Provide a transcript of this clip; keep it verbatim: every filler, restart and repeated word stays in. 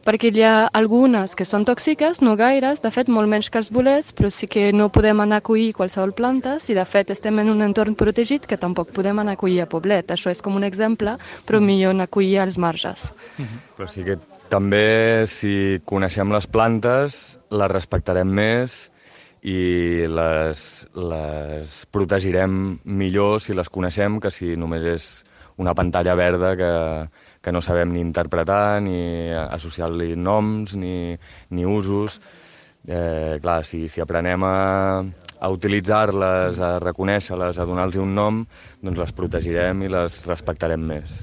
perquè hi ha algunes que són tòxiques, no gaires, de fet molt menys que els bolets, però sí que no podem anar a collir qualsevol planta si de fet estem en un entorn protegit que tampoc podem anar a collir a poblet. Això és com un exemple, però millor anar a collir als marges. Però sí que també, si coneixem les plantes, les respectarem més i les, les protegirem millor si les coneixem que si només és una pantalla verda que, que no sabem ni interpretar, ni associar-li noms, ni, ni usos. Eh, clar, si, si aprenem a, a utilitzar-les, a reconèixer-les, a donar-los un nom, doncs les protegirem i les respectarem més.